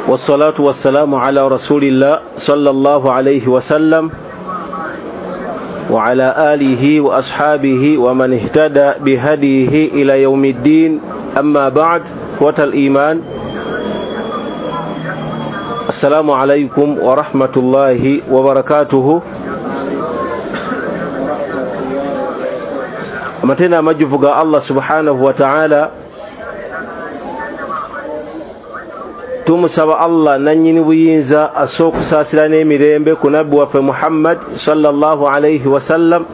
والصلاة والسلام على رسول الله صلى الله عليه وسلم وعلى آله وأصحابه ومن اهتدى بهديه إلى يوم الدين. أما بعد، إخوة الإيمان، السلام عليكم ورحمة الله وبركاته. Amatena amajjuvu ga Allah subhanahu wa ta'ala, tumusaba Allah nannyini buyinza asse okusaasira n'emirembe ku nabbi waffe Muhammad sallallahu alaihi wasallam.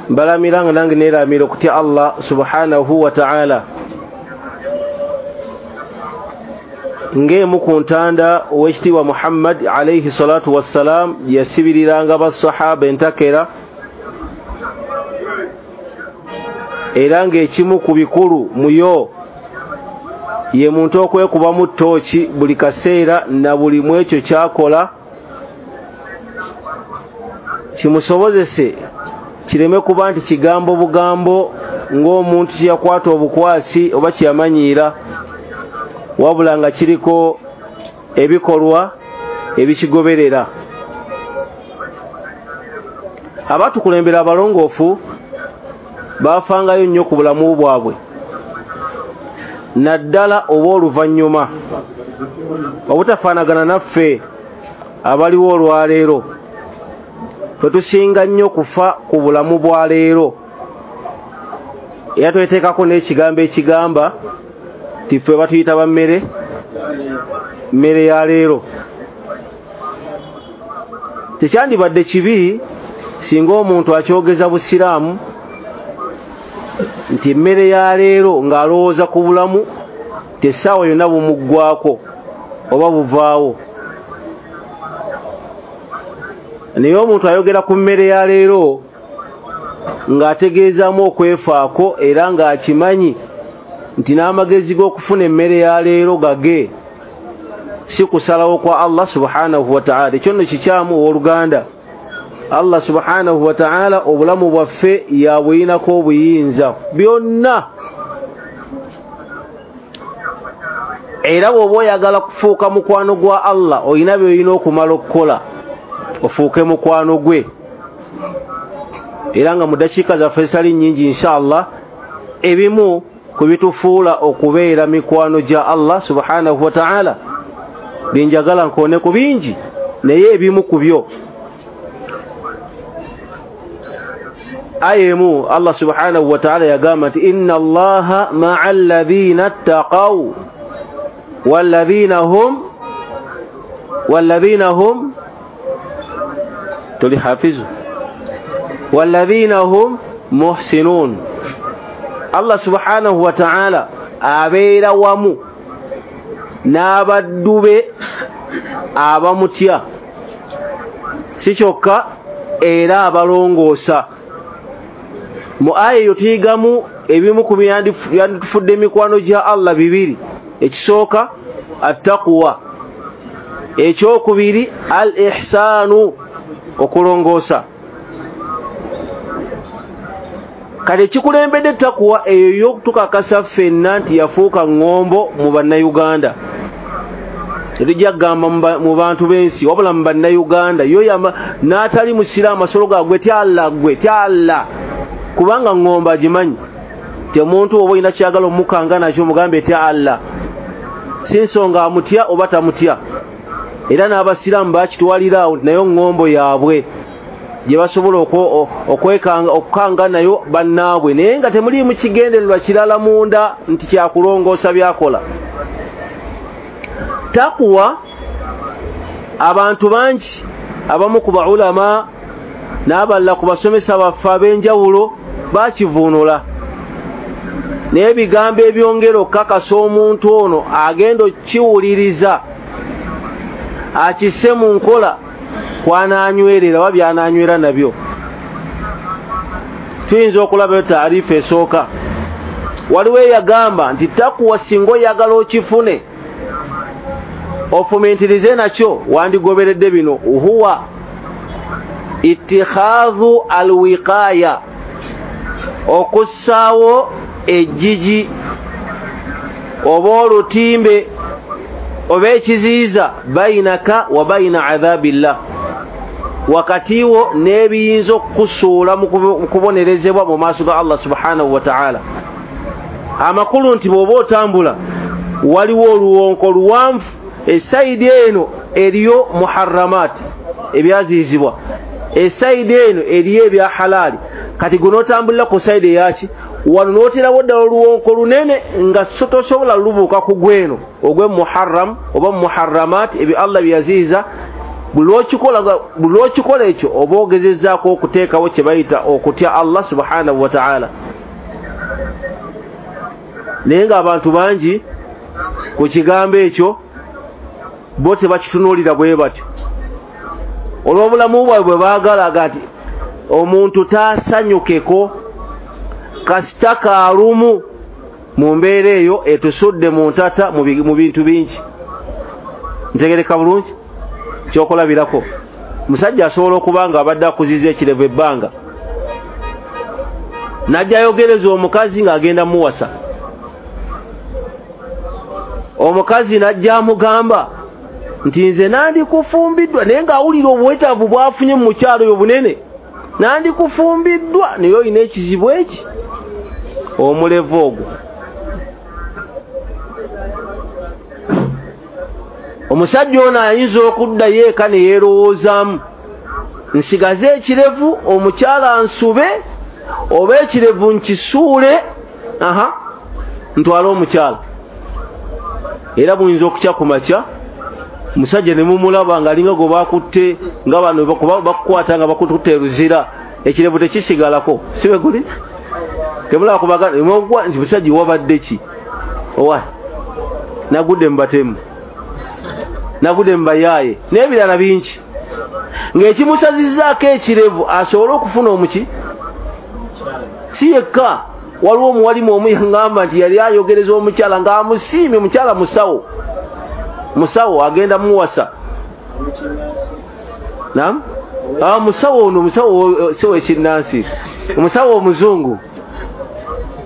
Mbalamira nga nange neeramira okutya Allah subhanahu wa ta'ala. Ng'emu ku ntanda ow'ekitiibwa Muhammad alaihi salatu wassalam yasibiriranga basahaba entakera, era ng'ekimu ku bikulu muyo ye muntu okwekubamu ttooki buli kaseera na buli mu ekyo kyakola kimusobozese kireme kuba nti kigambo bugambo ng'omuntu kyeyakwata obukwasi oba kyeyamanyiira, wabula nga kiriko ebikolwa ebikigoberera. Abatukulembera abalongoofu baafangayo nnyo ku bulamu bwabwe, naddala oba oluvannyuma, obutafaanagana naffe abaliwo olwaleero. Ffe tusinga nnyo kufa ku bulamu bwa leero, era tweteekako n'ekigambo ekigamba nti ffe batuyita ba mmere mmere ya leero. Tekyandibadde kibi singa omuntu akyogeza busiraamu nti emmere ya leero ng'alowooza ku bulamu tessaawa yonna bumuggwako oba buvaawo. Naye omuntu ayogera ku mmere ya leero ng'ategeezaamu okwefaako, era ng'akimanyi nti n'amagezi g'okufuna emmere ya leero gage, si kusalawo kwa Allah subhanahu wa ta'ala. Ekyo nno kikyamu owooluganda. Allah subhanahu wa ta'ala obulamu bwaffe yabuyinako obuyinza byonna, era bw'oba oyagala kufuuka mukwano gwa Allah olina by'olina okumala okukola ofuuke mukwano gwe. Era nga mu ddakiika zaffe ezitali nnyingi inshallah, ebimu ku bitufuula okubeera mikwano gya Allah subhanahu wa ta'ala byenjagala nkoone ku bingi, naye ebimu ku byo. Aya emu Allah subhanahu wa ta'ala yagamba nti inna allaha ma'a alladhina ttaqaw walladhina hum tuli hafizu walladhina hum muhsinun. Allah subhanahu wa ta'ala abeera wamu n'abaddu be abamutya, si kyokka era abalongoosa. Mu aya eyo tuyigamu ebimu ku byanditufudde emikwano gya Allah bibiri. Ekisooka attaqwa, ekyokubiri al ihsaanu, okulongoosa. Kale ekikulembedde takuwa eyo y'okutukakasa ffenna nti yafuuka ŋŋombo mu bannayuganda. Tetujja kugamba mu bantu b'ensi, wabula mu bannayuganda. Yo n'atali musiraamu asolo ga gwe tya Allah, gwe tya Allah, kubanga ŋŋombo agimanyi. Ti omuntu oba olina kyagala omukanga nakyo omugambe tya Allah, si nsonga amutya oba tamutya. Era n'abasiraamu bakitwalira awo nti nayo ŋŋombo yaabwe gye basobola okukanga nayo bannaabwe, naye nga temuliimu kigendererwa kirala munda nti kyakulongoosa byakola. Takuwa abantu bangi abamu ku baulama n'abalala ku basomesa baffe ab'enjawulo bakivuunula, naye ebigambo ebyongera okukakasa omuntu ono agenda okkiwuliriza akisse mu nkola kwanaanywerera oba byanaanywera nabyo. Tuyinza okulabayo taarifa esooka. Waliwo eyagamba nti takuwa singa oyagala okifune ofumintirize nakyo, wandigoberedde bino: huwa ittikhadhu alwiqaya, okussaawo ejjiji oba olutimbe oba ekiziyiza bainaka wa baina adhabillah, wakati wo n'ebiyinza okukusuula mu kubonerezebwa mu maaso ga Allah subhanahu wa ta'ala. Amakulu nti bw'oba otambula waliwo oluwonko luwanvu, esayidi eno eriyo muharramat ebyaziyizibwa, esayidi eno eriyo ebya halaali. Kati gwe n'otambulira ku sayidi eyaki, wano n'oterawo ddala oluwonko lunene nga tosobola lubuuka ku gweno ogwe muharram oba muharramat ebyo Allah byeyaziyiza. Buli lw'okikola ekyo oba ogezezzaako okuteekawo kye bayita okutya Allah subhanahu wa ta'ala. Naye ng'abantu bangi ku kigambo ekyo bo tebakitunuulira bwe batyo, olw'obulamu bwabwe bwe baagalaga nti omuntu taasanyukeko kasita kaalumu mu mbeera eyo etusudde mu ntata mu bintu bingi. Ntegereka bulungi? Kyokulabirako, musajja asobola okuba nga abadde akuziza ekirevu ebbanga, n'ajja ayogereza omukazi ng'agenda muwasa. Omukazi n'ajja amugamba nti nze nandikufumbiddwa, naye ng'awulira obwetaavu bw'afunye mu mukyalo oyo bunene, nandikufumbiddwa naye olina ekizibu eki, omulevu ogwo. Omusajja ono ayinza okuddayo eka ne yeerowoozaamu, nsigaze ekirevu omukyala nsube oba ekirevu nkisuule, aha, ntwale omukyala. Era buyinza okukya ku makya omusajja ne mumulaba ng'alinga gwe bakutte, nga bano bakukwata nga bakututte eruzira, ekirevu tekisigalako, si bwe guli? Temulaba kubagana nti musajja wabadde ki? Owa nagudde mu batemu, nagudde mu bayaaye n'ebirala bingi, ng'ekimusazizzaako ekirevu asobole okufuna omuki. Si yekka, waliwo omuwalimu omu yaŋŋamba nti yali ayogereza omukyala ng'amusiimye, omukyala musawo, musawo agenda muwasa. Naam, musawo ono, musawo si w'ekinnansi, omusawo omuzungu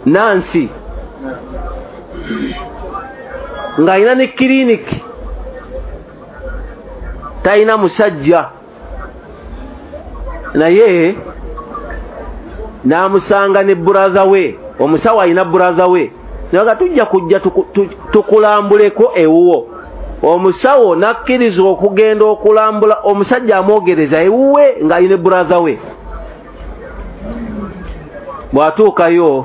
Nansi, ng'alina ne kiriniki, talina musajja, naye n'amusanga ne brother we. Omusawo alina brother we, naga tujja kujja tukulambuleko ewuwo. Omusawo n'akkiriza okugenda okulambula omusajja amwogereza ewuwe ng'alina brother we. Bw'atuukayo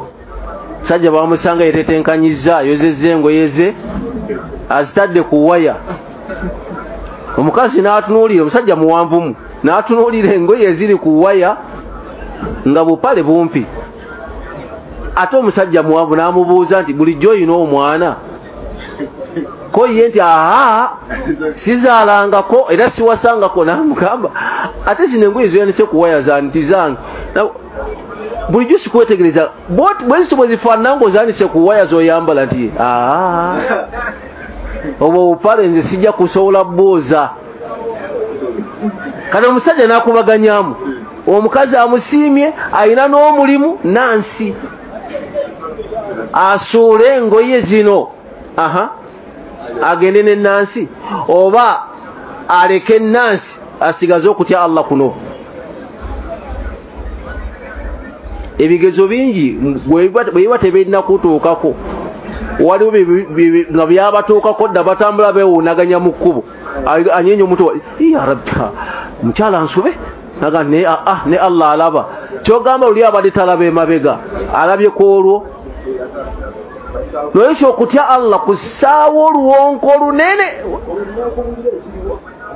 musajja bamusanga yetetenkanyizza, ayozezza engoye ze azitadde ku waya. Omukazi n'atunuulira, omusajja muwanvumu, n'atunuulira engoye eziri ku waya nga bupale bumpi. Ate omusajja muwanvu n'amubuuza nti bulijjo olina omwana? Ko ye nti aha, sizaalangako era siwasangako. N'amugamba ate zino engoye zoyanise ku waya zange nti zange, bulijjo sikwetegereza bwe zityo bwe zifaanana ng'ozaanise ku waya z'oyambala. Nti aa, obwo obupale nze sijja kusobola bwoza. Kati omusajja n'akubaganyamu, omukazi amusiimye, alina n'omulimu Nansi, asuule engoye zino, aha, agende ne Nansi oba aleke Nansi asigaze okutya Allah kuno. Ebigezo bingi bwe biba tebirina kutuukako, waliwo nga byabatuukako dda, batambula beewuunaganya mu kkubo, anyeenya omutwe, ya Rabbi, mukyala nsube, naga ne ne Allah alaba. Kyogamba luli abadde talaba emabega, alabye ku olwo. Nolwekyo okutya Allah kussaawo oluwonko olunene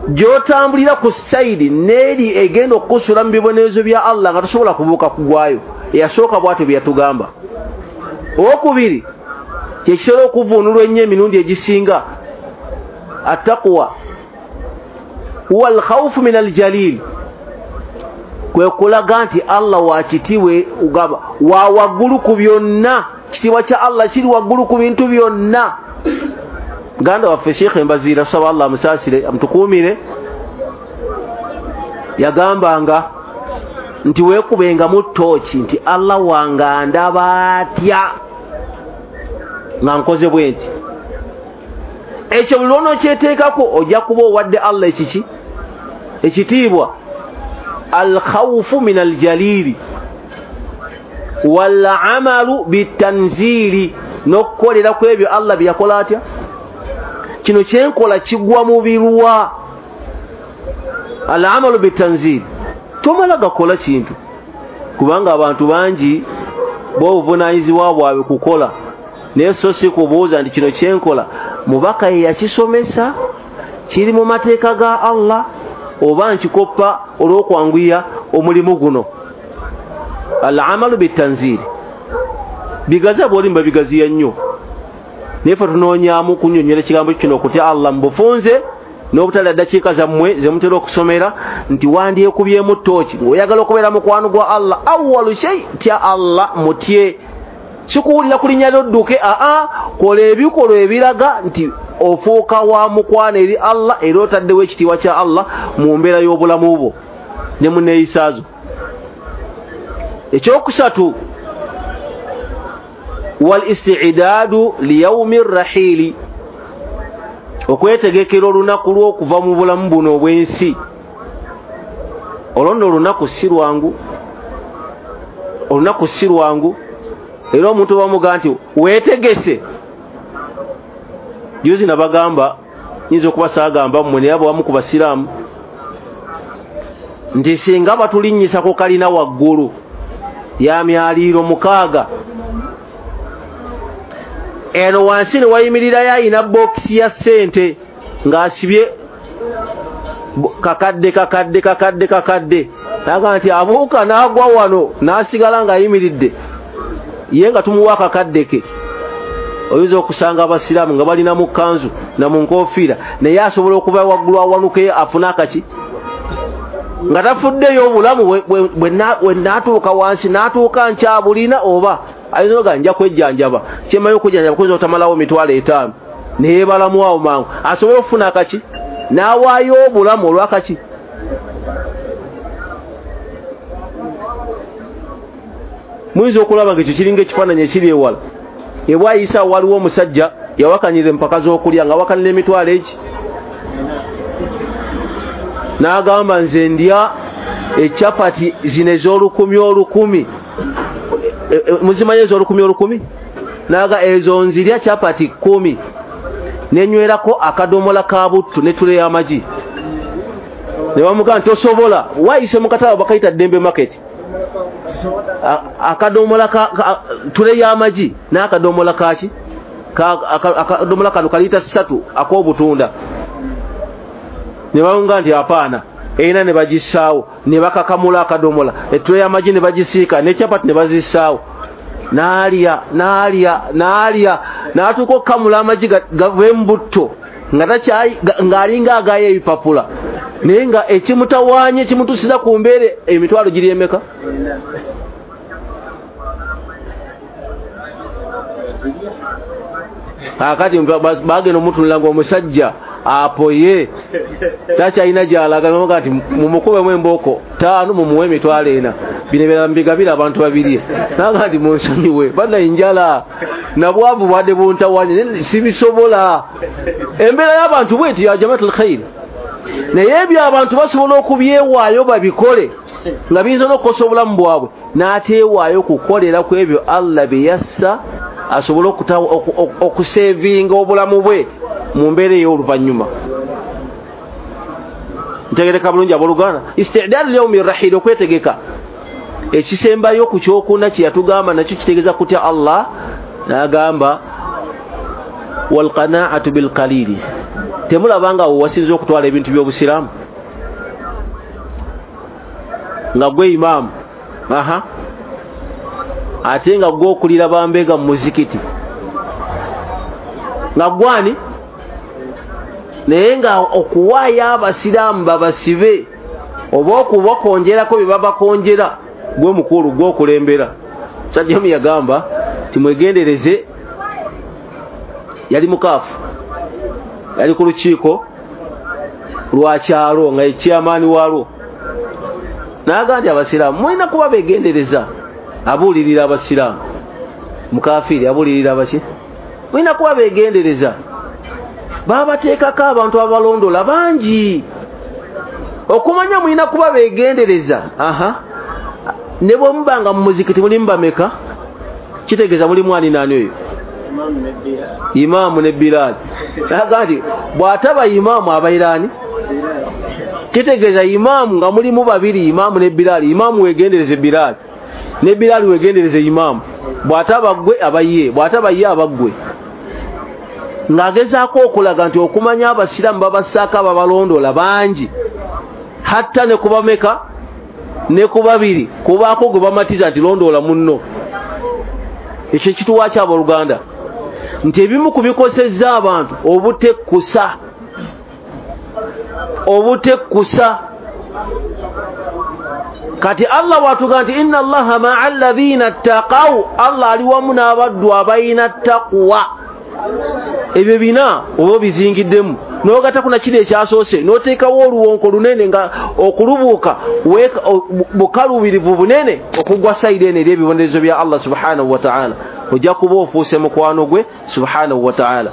gy'otambulira ku sayidi n'eri egenda okukusula mu bibonerezo bya Allah nga tosobola kubuuka kugwayo. Eyasooka bw'atyo bye yatugamba. Owokubiri kye kitera okuvuunulwa ennyo emirundi egisinga, attaqwa huwa alkhawfu min aljalil, kwe kulaga nti Allah wa kitiibwa, ugamba wa waggulu ku byonna, kitiibwa kya Allah kiri waggulu ku bintu byonna. Muganda waffe Sheikh Mbaziira, tusaba Allah amusaasire amutukuumire, yagambanga nti weekubengamu ttooki nti Allah wange andaba atya nga nkoze bwe nti. Ekyo buli lw'onookyeteekako ojja kuba owadde Allah ekiki? Ekitiibwa. Alkhawfu min aljalili walamalu bitanzili, n'okukolera ku ebyo Allah bye yakola atya. Kino kyenkola kigwa mu birwa. Alamalu bitanzili, tomala gakola kintu, kubanga abantu bangi b'obuvunaanyizibwa bwabwe kukola, naye so si kubuuza nti kino kyenkola mubaka ye yakisomesa, kiri mu mateeka ga Allah, oba nkikoppa olw'okwanguya omulimu guno. Alamalu bitanzili, bigaza bw'oli mbabigaziya nnyo, naye ffe tunoonyaamu kunnyonnyola ekigambo kino okutya Allah mu bufunze n'obutalya ddakiika zammwe ze mutera okusomera nti wandyekubyemu ttooki ng'oyagala okubeera mukwano gwa Allah. Awwalu shay, tya Allah, mutye, sikuwulira ku linnya ly'odduke, aa, kola ebikolwa ebiraga nti ofuuka wa mukwano eri Allah, era otaddewo ekitiibwa kya Allah mu mbeera y'obulamu bwo ne mu neeyisaazo. Ekyokusatu, wal istiidaadu liyaumi rrahiili, okwetegekera olunaku lw'okuva mu bulamu buno obw'ensi. Olwo nno olunaku si lwangu, olunaku si lwangu. Era omuntu bamugaa nti weetegese. Juzi nabagamba, nyinza okuba saagamba mmwe, naye abawamu ku basiraamu nti singa batulinnyisa ku kalina waggulu ya myaliiro 6, eno wansi ne wayimirirayo ayina bookisi ya ssente ng'asibye kakadde kakadde kakadde kakadde, naga nti abuuka n'agwa wano n'asigala ng'ayimiridde, ye nga tumuwa akakadde ke. Oyinza okusanga abasiraamu nga balina mu kkanzu na mu nkofiira, naye asobola okuva waggulu awanukeyo afune akaki nga tafuddeyo obulamu bwe naatuuka wansi n'atuuka nkyabulina, oba ayinza oga nja kwejjanjaba, kyemmanyi okujjanjaba kuyinza otamalawo 50,000, naye balamu awo mangu asobole okufuna akaki n'awaayo obulamu olw'akaki. Muyinza okulaba nga ekyo kiringa ekifaananyi ekiri ewala. Ebwayisa waliwo omusajja yawakanira empaka z'okulya nga awakanira emitwalo egi, n'agamba nze ndya ecapati zino ez'olukumi olukumi, muzimanyi ez'olukumi olukumi? N'aga ezo nzirya capati 10 nenywerako akadomola ka buttu ne tule y'amagi. Ne bamugamba nti tosobola, wayise mu katale bakayita Ddembe Market, akadomola ka tule y'amagi n'akadomola kaki, akadomola kano kalita 3 ak'obutunda. Ne bamugamba nti apaana, erina ne bagissaawo, ne bakakamula akadomola, ettule y'amagi ne bagisiika, ne capati ne bazissaawo. N'alya n'alya n'alya n'atuuka okukamula amagi gave mu butto ng'alinga agaayo ebipapula, naye nga ekimutawaanya ekimutuusiza ku mbeera emitwalo giri emeka? Kaakati bagenda omutunula ng'omusajja apoye takyalina gy'alaga, nga nti mumukubemu embooko 5 mumuwe 4,000, bino ebirala mbigabira abantu babirye. Naga nti munsonyiwe banna, enjala nabwavu bwadde buntawanye, sibisobola. Embeera y'abantu bweti ya jamaatul khair, naye ebyo abantu basobola okubyewaayo babikole nga biyinza n'okukosa obulamu bwabwe, n'ateewaayo kukolera ku ebyo Allah bye yassa asobole okusevinga obulamu bwe mu mbeera ey'oluvannyuma. Ntegereka bulungi abooluganda, istidaadu lyaumi rahil, okwetegeka. Ekisembayo ku kyokuna kye yatugamba nakyo kitegeeza kutya Allah, n'agamba walqanaatu bilqalili. Temulaba nga wewasinza okutwala ebintu by'obusiraamu nga gwe imaamu, aha, ate nga gwe okulira bambega mu muzikiti nga gwani, naye nga okuwaayo abasiraamu babasibe oba okubakonjerako bye babakonjera, gwe mukulu gwe okulembera. Musajja omu yagamba timwegendereze, yali mukaafu, yali ku lukiiko lwa kyalo nga ekyamaani waalwo, n'agamba nti abasiraamu mulina kuba beegendereza. Abuulirira abasiraamu, mukafiiri abuulirira abaki, mulina kuba beegendereza. Babateekako abantu abalondola bangi. Okumanya mulina kuba beegendereza. Ne bwe mubanga mu muzikiti mulimu bameka, kitegeeza mulimu ani naani oyo? Imaamu ne Bilal. Naga nti bw'ataba imaamu abaira ani? Kitegeeza imaamu nga mulimu babiri, imaamu ne Bilal. Imaamu weegendereze Bilal, ne Bilal weegendereze imaamu. Bw'ataba ggwe aba ye, bw'ataba ye aba ggwe. Ng'agezaako okulaga nti okumanya abasiraamu babassaako ababalondola bangi, hatta ne ku bameka ne ku babiri kubaako gwe bamatiza nti londoola munno. Ekyo kituwa ki abooluganda? Nti ebimu ku bikosezza abantu obutekkusa, obutekkusa. Kati Allah bw'atuga nti inna Allaha ma'a alladhina ttaqaw, Allah ali wamu n'abaddu abalina taqwa. Ebyo bina oba obizingiddemu n'ogattako na kiri ekyasoose, n'oteekawo oluwonko lunene nga okulubuuka bukalubirivu bunene okugwa sayidi eno eri ebibonerezo bya Allah subhanahu wa ta'ala. Ojja kuba ofuuse mukwano gwe subhanahu wa ta'ala.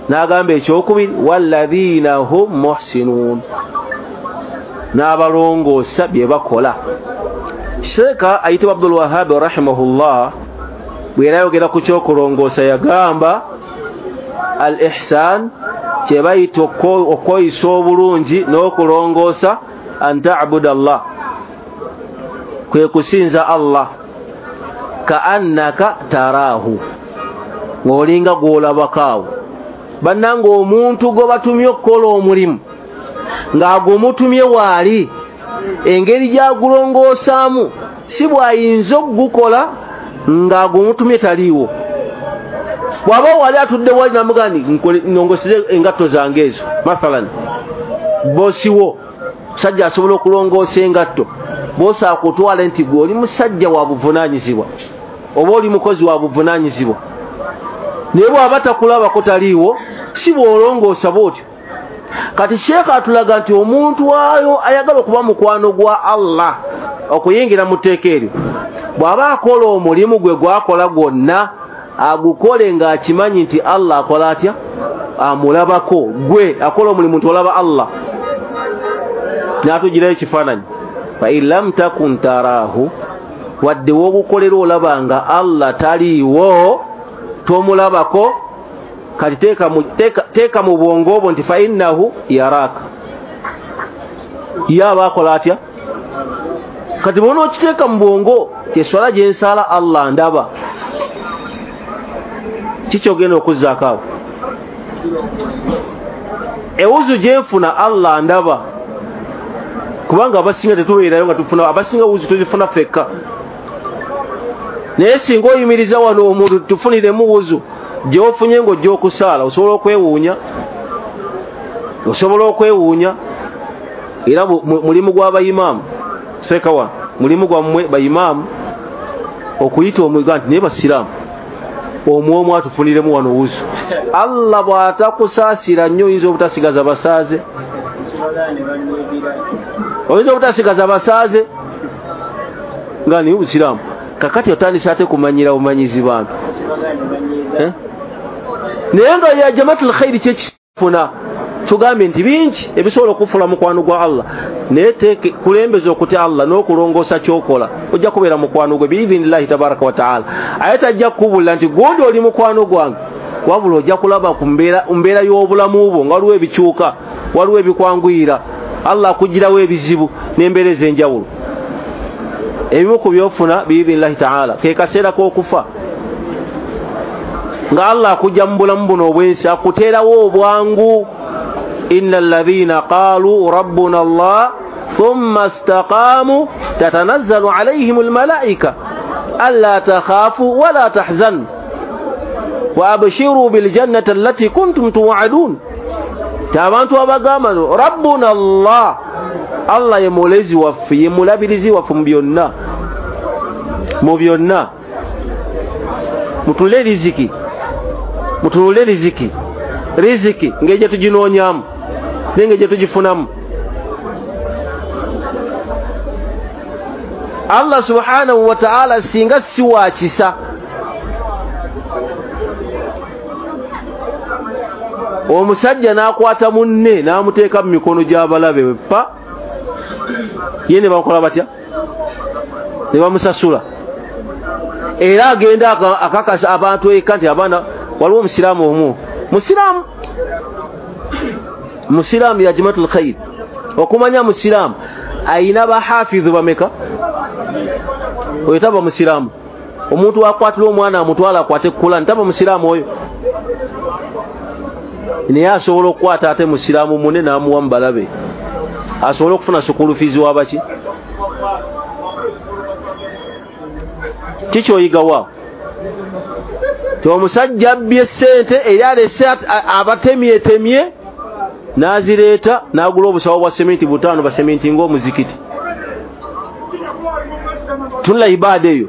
N'agamba ekyokubiri, walladhina hum muhsinuun, n'abalongoosa bye bakola. Sheeka ayitibwa Abdul Wahhab rahimahullah bwe yali ayogera ku kyokulongoosa yagamba al ihsan kye bayita okweyisa obulungi n'okulongoosa, an ta'buda Allah, kwe kusinza Allah, ka'annaka taraahu, ng'olinga gw'olabako awo. Bannange omuntu gwe batumye okukola omulimu ng'agumutumye waali, engeri gy'agulongoosaamu si bw'ayinza okugukola ng'agumutumye taliiwo. Bw'aba wali atudde wali n'amugamba nti nnongoseze engatto zange ezo, mathalan boosi wo musajja asobola okulongoosa engatto, boosi akutwale nti gwe oli musajja wa buvunaanyizibwa oba oli mukozi wa buvunaanyizibwa, naye bw'aba takulabako taliiwo, si bw'olongoosa bw'otyo. Kati sheeka atulaga nti omuntu ayo ayagala okuba mukwano gwa Allah okuyingira mu tteeka eryo, bw'aba akola omulimu gwe gwakola gwonna agukole ng'akimanyi nti Allah akola atya? Amulabako. Gwe akola omulimu nti olaba Allah. N'atugirayo ekifaananyi, fa in lam takun taraahu, wadde w'ogukolera olaba nga Allah taliiwo, tomulabako, kati teeka mu bwongo obwo nti fa innahu yaraaka, ye aba akola atya? Kati bw'ona okiteeka mu bwongo eswala gye nsaala Allah ndaba, kiki ogenda okuzzaako awo? Ewuzu gye nfuna Allah ndaba, kubanga abasinga tetubeerayo nga tufuna, abasinga wuzu tuzifuna ffekka. Naye singa oyimiriza wano omuntu tufuniremu wuzu gy'ofunye ng'ojja okusaala, osobola okwewuunya, osobola okwewuunya. Era mulimu gw'abayimaamu seeka wano, mulimu gwammwe bayimaamu okuyita omwiga nti naye basiraamu omwomu atufuniremu wano wuzu. Allah bw'atakusaasira nnyo oyinza obutasigaza basaaze, oyinza obutasigaza basaaze nga niye obusiraamu. Kakati otandise ate kumanyira bumanyizi bantu, naye nga ya jamaatul khairi kyekifuna. Tugambye nti bingi ebisobola okufula mukwano gwa Allah, naye kulembeza okutya Allah n'okulongoosa ky'okola, ojja kubeera mukwano gwe biidhinillahi tabaraka wa taala. Aye tajja kukubulira nti gundi oli mukwano gwange, wabula ojja kulaba ku mbeera y'obulamu bwo nga waliwo ebikyuka, waliwo ebikwanguyira, Allah akuggyirawo ebizibu n'embeera ez'enjawulo. Ebimu ku by'ofuna biidhinillahi taala ke kaseera k'okufa, nga Allah akujja mu bulamu buno obw'ensi akuteerawo obwangu. Inna alladhina qalu rabbuna Allah thumma istaqamu tatanazzalu alayhim almalaika alla takhafu wala tahzanu wa abshiru biljannati allati kuntum tu'adun. Abantu abagamba rabbuna Allah, Allah ye mulezi waffe, ye mulabirizi waffe mu byonna, mu byonna. Mutule riziki, mutule riziki, riziki ng'egye tuginoonyamu naye ng'egye tugifunamu. Allah subhanahu wa ta'ala singa si wa kisa, Omusajja n'akwata munne n'amuteeka mu mikono gy'abalabe pa ye ne bakola batya, ne bamusasula. Era agenda akakasa abantu eka nti abaana, waliwo omusiraamu omu musiraamu ya Jamatul Khair. Okumanya musiraamu ayina bahafidhu bameka? Oyo taba musiraamu. Omuntu akwatira omwana amutwala akwate Kurani, taba musiraamu oyo. Naye asobola okukwata ate musiraamu munne n'amuwa mu balabe, asobole okufuna sukulu fiizi wabaki. Kikyoyigawa ti omusajja abbye ssente era alese abatemyetemye n'azireeta n'agula obusawo bwa seminti 5 baseminti ng'omuzikiti. Tunula ibaada eyo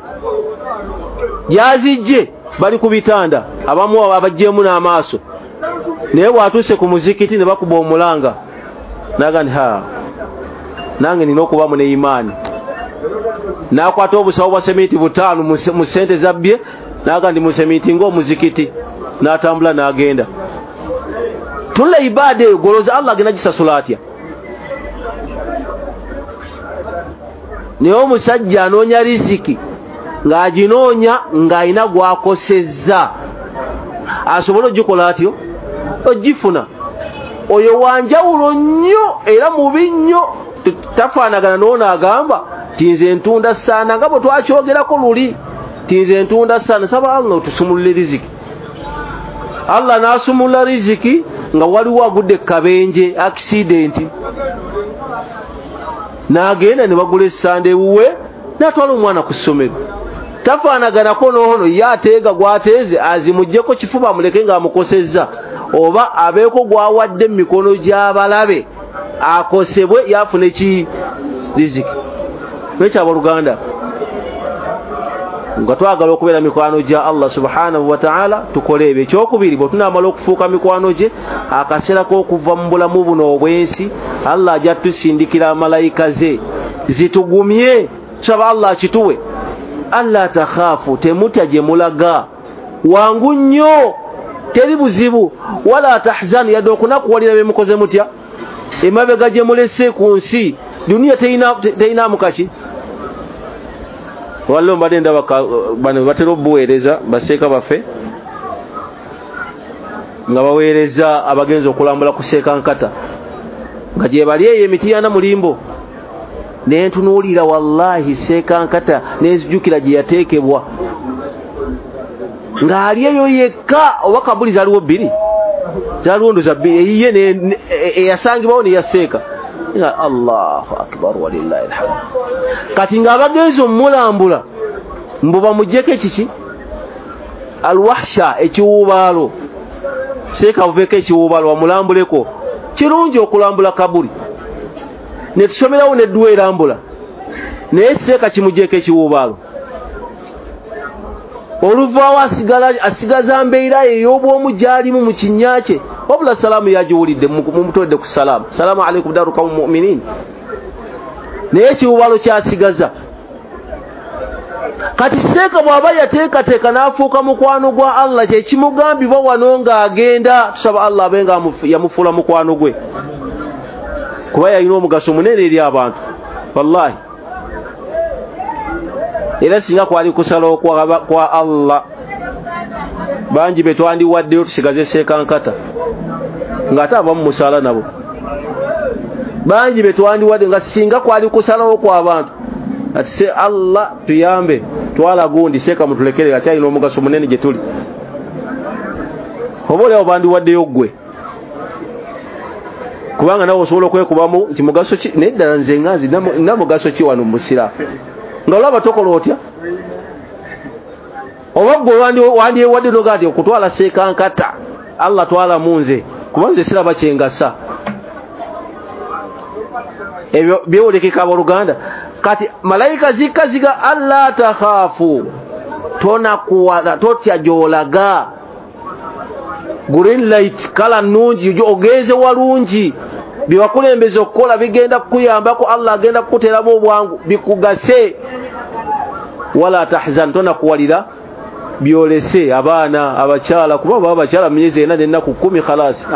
yazijje, bali ku bitanda, abamu abaggyemu n'amaaso, naye bw'atuuse ku muzikiti ne bakuba omulanga n'aga nti ha, nange nina okubamu ne imaani. N'akwata obusawo bwa seminti 5 mu ssente zabbye n'aga nti museminti ng'omuzikiti, n'atambula n'agenda. Tunula ibaada eyo, goloza Allah agenda gisasula atya? Naye omusajja anoonya riziki ng'aginoonya ng'alina gw'akosezza, asobole ogikola atyo ogifuna. Oyo wanjawulo nnyo era mubi nnyo, tafaanagana n'ono agamba ti nze ntunda saana, nga bwe twakyogerako luli ti nze ntunda saana. Saba Allah otusumulule riziki. Allah n'asumulula riziki nga waliwo agudde kabenje, accident, n'agenda ne bagula essanda ewuwe n'atwala omwana ku ssomero. Tafaanaganako n'ono ye ateega gw'ateeze azimuggyeko kifuba amuleke ng'amukosezza, oba abeeko gw'awadde mu mikono gy'abalabe akosebwe yafune ki riziki. Lwekyo abooluganda, nga twagala okubeera mikwano gya Allah subhanahu wa ta'ala, tukole ebyo. Ekyokubiri, bwe tunaamala okufuuka mikwano gye, akaseera k'okuva mu bulamu buno obw'ensi, Allah ajja tusindikira malayika ze zitugumye. Tusaba Allah akituwe. Alla takhaafu, temutya gye mulaga, wangu nnyo, teri buzibu. Wala tahzanu, yadde okunakuwalira bye mukoze mutya, emabega gye mulese ku nsi, duniya teyinaamu kaki. Waliwo mbadde ndaba bano batera obuweereza baseeka baffe nga baweereza abagenzi okulambula ku Seekankata, nga gye bali eyo emitiyana mulimbo, nentunuulira wallahi Seekankata nenzijukira gye yateekebwa ng'ali eyo yekka. Oba kabuli zaaliwo bbiri, zaaliwo ndoza bbiri, eyiye eyasangibwawo neyaseeka. Allahu akbar walillahi alhamd. Kati ng'abagenzi omulambula mbu bamuggyeko ekiki, alwahsha, ekiwuubaalo. Seeka buveeko ekiwuubaalo bamulambuleko. Kirungi okulambula kabuli, ne tusomerawo nedduwa erambula, naye seeka kimuggyeko ekiwuubaalo. Oluvaawo asigaza mbeera ey'obwomu gy'alimu mu kinnya kye. Wabula salaamu yagiwulidde, mumutodde ku salaamu, salaamu aleikum daru qawmi mu'minin, naye ekiwuubaalo kyasigaza. Kati seeka bw'aba yateekateeka n'afuuka mukwano gwa Allah, kye kimugambibwa wano ng'agenda. Tusaba Allah abe nga yamufuula mukwano gwe, kuba yalina omugaso munene eri abantu wallahi. Era singa kwali kusalawo kwa Allah, bangi be twandiwaddeyo tusigaze Seekankata ng'ate abamu musaala nabo. Bangi be twandiwadde nga singa kwali kusalawo kw'abantu, ati se Allah tuyambe, twala gundi seeka mutulekere, akyalina omugaso munene gye tuli. Oba oliawo bandiwaddeyo ggwe, kubanga nawe osobola okwekubamu nti mugaso ki, naye ddala nze nga nzi nina mugaso ki wano mu busiraamu, nga olaba tokola otya? Oba ggwe wandyewadde noga nti okutwala Seekankata Allah twala mu nze, kuba nze siraba kyengasa. Ebyo byewulekeka abooluganda. Kati malayika zikka ziga alla takhaafu, tonakuwala, totya gy'olaga. Green light, kala nnungi, ogenze walungi, bye wakulembeza okukola bigenda kukuyambako, Allah agenda kukuteeramu obwangu bikugase. Wala tahzan, tonakuwalira Byolese abaana abakyala, kuba baba abakyala myezi 4 n'ennaku 10 khalasi.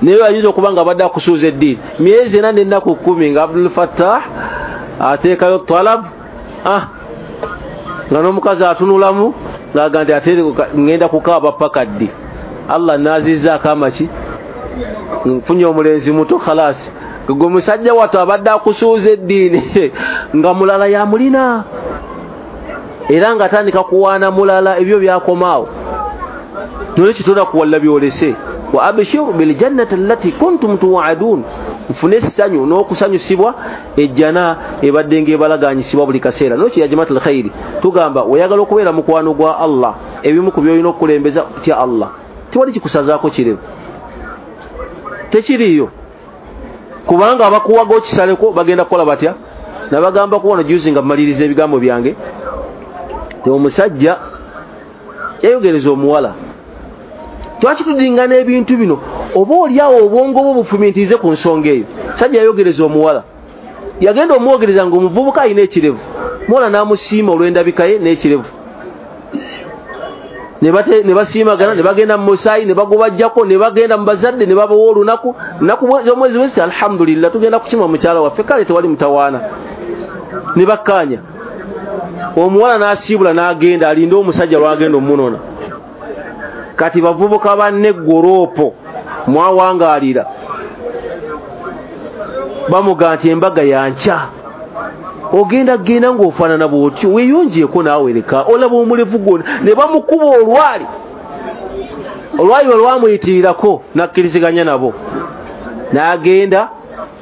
Naye ayinza okuba nga abadde akusuuza eddiini myezi 4 n'ennaku 10 nga Abdul Fattah ateekayo talab, nga n'omukazi atunulamu ng'aga nti ate ngenda kukaaba paka ddi, Allah naazizzaako amaki, nfunye omulenzi muto khalasi. Gwe musajja wattu abadde akusuuza eddiini nga mulala yamulina, era ng'atandika kuwaana mulala, ebyo byakomaawo. Nolwekyo tonakuwalla byolese. Wa abshiru biljannati allati kuntum tuwadun, nfune essanyu n'okusanyusibwa ejjana ebadde ng'ebalaganyisibwa buli kaseera. Nolwekyo ya jamaatul khairi, tugamba oyagala okubeera mukwano gwa Allah, ebimu ku by'olina okukulembeza tya Allah. Tewali kikusazaako kirevu, tekiriiyo, kubanga abakuwaga okisaleko bagenda kukola batya? Nabagamba kuwano juzi nga mmaliriza ebigambo byange, omusajja yayogereza omuwala, twaki tudingana ebintu bino, oba oliawo obwongo bwo bufumintirize ku nsonga eyo. Sajja yayogereza omuwala, yagenda omwogereza ng'omuvubuka alina ekirevu, muwala n'amusiima olw'endabika ye n'ekirevu, ne basiimagana, ne bagenda mu musaayi, ne bagubajjako, ne bagenda mu bazadde, ne babawa olunaku nnaku z'omwezi wezi, alhamdulillah tugenda kukima mukyala waffe, kale tewali mutawaana. Ne bakkaanya, omuwala n'asiibula n'agenda alinde omusajja lw'agenda omunona. Kati bavubuka banne goropo mwawangaalira, bamuga nti embaga yankya, ogenda genda ng'ofaanana bw'otyo, weeyongyeko naawe leka olaba omulevu gwonna. Ne bamukuba olwali, olwali bwe lwamuyitirirako n'akkiriziganya nabo, n'agenda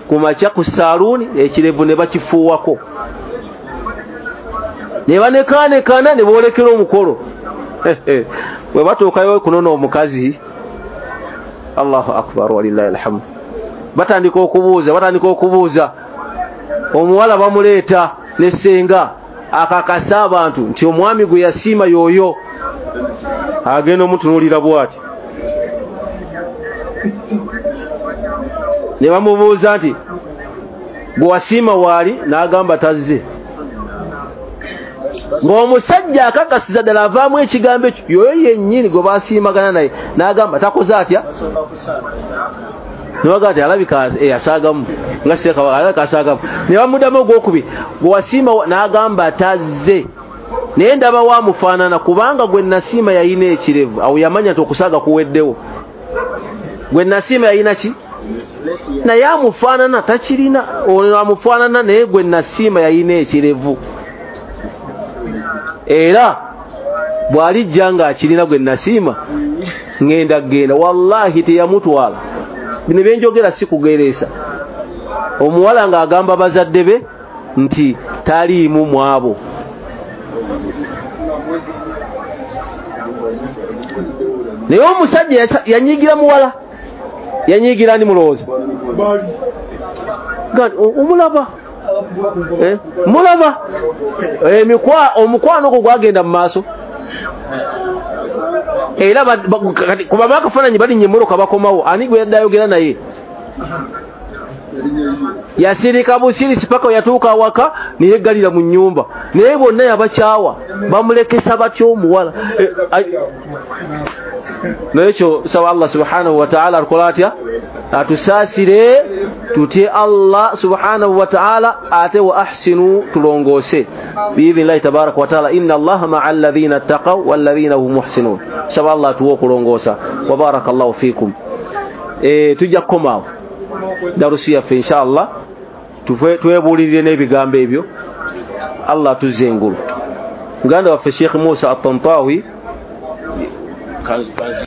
ku makya ku saaluuni, ekirevu ne bakifuuwako, ne banekaanekana, ne boolekera omukolo. Bwe batuukayo kunona omukazi, Allahu akbar walillahi alhamdu, batandika okubuuza, omuwala bamuleeta ne ssenga akakasa abantu nti omwami gwe yasiima y'oyo. Agenda omutunuulira bw'ati, ne bamubuuza nti gwe wasiima waali? N'agamba tazze. Ng'omusajja akakasiza ddala avaamu ekigambo ekyo, yoyo yennyini gwe basiimagana naye, n'agamba takoze atya? Ne bagamba nti alabika asaagamu, nga Ssekabaka alabika asaagamu. Ne bamuddamu ogwokubiri, gwe wasiima, n'agamba tazze, naye ndaba waamufaanana, kubanga gwe nasiima yalina ekirevu. Awo yamanya nti okusaaga kuweddewo. Gwe nasiima yalina ki? Naye amufaanana takirina, ono amufaanana, naye gwe nasiima yalina ekirevu. Era bw'alijja ng'akirina gwe nasiima ngenda genda. Wallahi teyamutwala. Bino byenjogera si kugereesa. Omuwala ng'agamba bazadde be nti taliimu mwabo. Naye omusajja yanyiigira muwala, yanyiigira ani mulowooza? Omulaba, mulaba omukwano ogwo gwagenda mu maaso. Era kuba bakafaananyi balinnya emmotoka bakomawo, ani gwe yadde ayogera naye? Yasirika busirisi paka yatuuka awaka neyeggalira mu nnyumba, naye bonna yabakyawa, bamulekesa batya omuwala. Nolwekyo saba Allah subhanahu wa ta'ala atukola atya? Atusaasire, tutye Allah subhanahu wa ta'ala, ate wa ahsinu, tulongoose biidhnillahi tabaraka wa ta'ala. Inna Allaha ma'a alladhina ttaqaw walladhina hum muhsinun. Saba Allah atuwe okulongoosa. Wa barakallahu fikum. Tujja kukomaawo darusi yaffe inshallah, twebuulirire n'ebigambo ebyo. Allah atuzze engulu. Muganda waffe Sheikh Musa At-Tantawi.